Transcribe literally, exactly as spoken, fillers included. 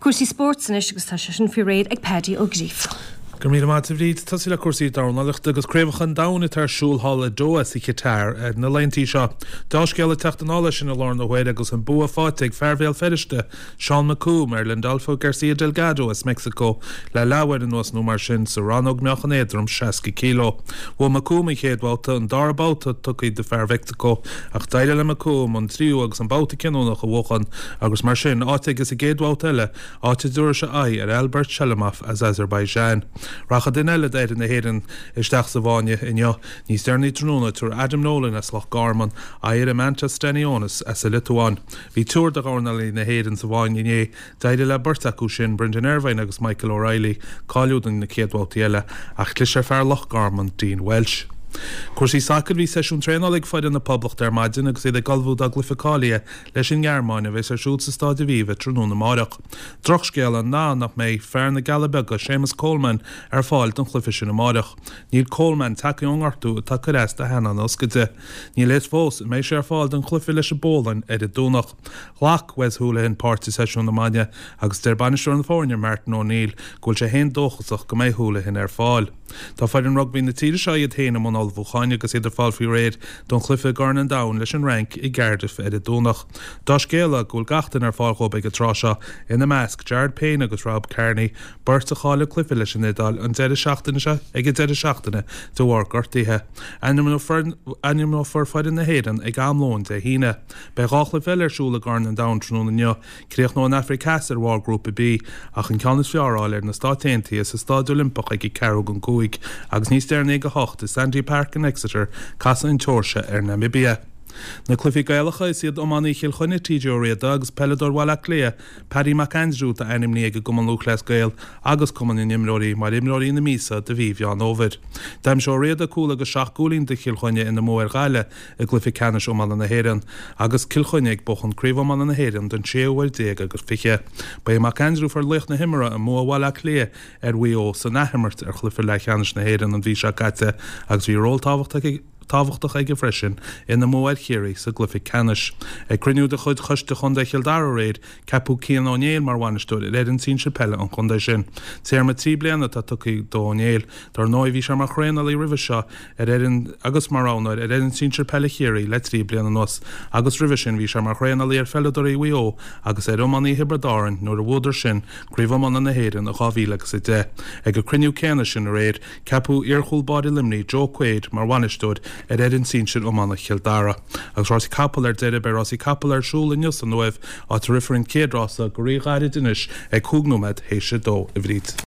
Cúrsaí spóirt anois agus tá sé sin faoi réir ag Paddy Ó Gríofa. Go míle maith a Bhríd tosú le cúrsaí dornálaíochta agus craobhacha an domhain atá ar siúl thall i Doha sa Chatar ar na laethanta seo. Dea-scéal ag teacht anall leis sin i láthair na huaire agus an bua faighte ag fear Bhéal Feirste Seán McComb ar Lindolfo Garcia Delgado as Mexico le leathuair anuas nó mar sin sa rannóg meáchan éadrom seasca kilo. Bhuaigh McComb an chéad bhabhta an dara babhta tugtha do fear Mhexico ach d'éirigh le McComb an tríú agus an babhta cinniúnach a bhuachan agus mar sin áit aige sa gcéad bhabhta eile áit a dtabharfaidh sé aghaidh ar Albert Shalimov as Azerbaijan. Rachaidh duine eile d'fhoireann na hÉireann isteach sa bhfáinne inniu níos deireanaí tráthnóna tabharfaidh Adam Nolan as Loch Garman aghaidh ar Eimantas Stanionis as an Liotuáin. Bhí triúr de dhornálaithe na hÉireann sa bhfáinne inné d'éirigh le beirt acu sin Brendan Irvine agus Michael O'Reilly cáiliú do na chéad bhabhtaí eile ach chlis ar fear Loch Garman Dean Welsh. Cúrsaí sacair bhí seisiún traenála ag foireann na Poblachta ar maidin agus iad ag ullmhú dá gcluiche cáilithe leis an nGearmáin a bheas ar siúl sa Staid Aviva tráthnóna amárach. Drochscéal ná nach mbeidh fear na gCealla Beaga Séamus Coleman ar fáil don chluiche sin amárach. Níl Coleman tagtha ón ngortú atá ag cur as do theannán a ioscaide. Níl a fhios fós an mbeidh sé ar fáil don chluiche leis an bPólainn ar an Domhnach. Ghlac Wes Hoolahan páirt i seisiún na maidine agus deir bainisteoir na foirne Martin O'Neill go bhfuil sé féin dóchasach go mbeidh Hoolahan ar fáil. Tá foireann rugbaí na tíre seo iad féin i mbun ullmhúcháin agus iad ag fáil faoi réir don chluiche i gCorn an Domhain leis an Fhrainc i gCardiff ar an Domhnach. Dea-scéala go bhfuil gach duine ar fáil dhóibh ag an tráth seo ina measc Jared Payne agus Rob Kearney, beirt a chaill a gcluiche leis an Iodáil an deireadh seachtaine seo ag an deireadh seachtaine de bharr gortaithe. Ainmneofar foireann na hÉireann ag am lóin Dé hAoine. Beidh dhá chluiche eile ar siúl i gCorn an Domhain tráthnóna inniu, críochnóidh an Afraic Theas ar bharr grúpa B ach an ceann is fearr a fháil ar na Stáit Aontaithe sa Staid Oilimpeach ag ceathrú don cúig, agus níos deireanaí ag a hocht i Sandy Park in Exeter casfaidh an tSeoirsia ar Namibia. Na cluichí Gaelacha is iad iománaí Chill Chainnigh TJ Ó Riada agus peileadóir Bhaile Átha Cliath Paddy McAndrew atá ainmnithe ag an gCumann Lúthchleas Gael agus Cumann na nImreoirí mar imreoirí na míosa do mhí Mheán Fhómhair. D'aimsigh Ó Riada cúl agus seacht gcúilín do Chill Chainnigh ina mbua ar Ghaillimh i gcluiche ceannais iomána na hÉireann agus Cill Chainnigh ag buachan craobh iomána na hÉireann don séú huair déag agus fiche. Ba é McAndrew a fuair laoch na himeartha i mbua Bhaile Átha Cliath ar Mhaigh Eo san athimirt ar chluiche leathcheannais na hÉireann an mhí seo caite agus bhí ról tábhachtach tábhachtach aige freisin ina mbua ar Chiarraí sa gcluiche ceannais. Ag cruinniú de chuid Choiste Chontae Chill Dara aréir, ceapadh Cian Ó Néill mar bhainisteoir ar fhoireann sinsir peile an chontae sin. Téarma trí bliana atá tugtha do Ó Néill, dar ndóigh bhí sé mar thraenálaí roimhe seo ar fhoireann agus mar roghnóir ar fhoireann sinsir peile Chiarraí le trí bliana anuas, agus roimhe sin bhí sé mar thraenálaí ar pheileadóirí Mhaigh Eo agus ar iománaithe Thiobraid Árann nuair a bhuadar sin Craobh Iomána na hÉireann i dhá mhíle agus a deich. Ag an cruinniú céanna sin aréir, ceapadh iar-chúl báire Luimnigh Joe Quaid mar bhainisteoir ar fhoireann sinsir iomána Chill Dara. Agus rásaí capall ar deireadh beidh rásaí capall ar siúl inniu san Uaimh áit a rithfear an chéad rása go ríghairid anois ag cúig nóiméad théis a dó a Bhríd.